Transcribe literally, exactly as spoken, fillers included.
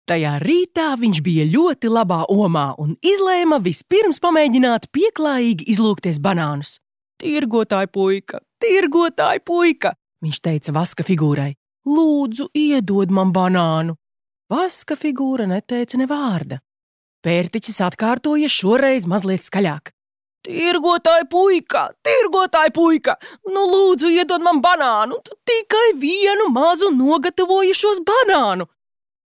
Tajā rītā viņš bija ļoti labā omā un izlēma vispirms pamēģināt pieklājīgi izlūgties banānus. Tirgotāj puika, tirgotāj puika, viņš teica vaska figūrai. Lūdzu, iedod man banānu. Vaska figūra neteica ne vārda. Pērtiķis atkārtoja šoreiz mazliet skaļāk. Tirgotāj puika, tirgotāj puika, nu lūdzu iedod man banānu, tu tikai vienu mazu nogatavojušos banānu.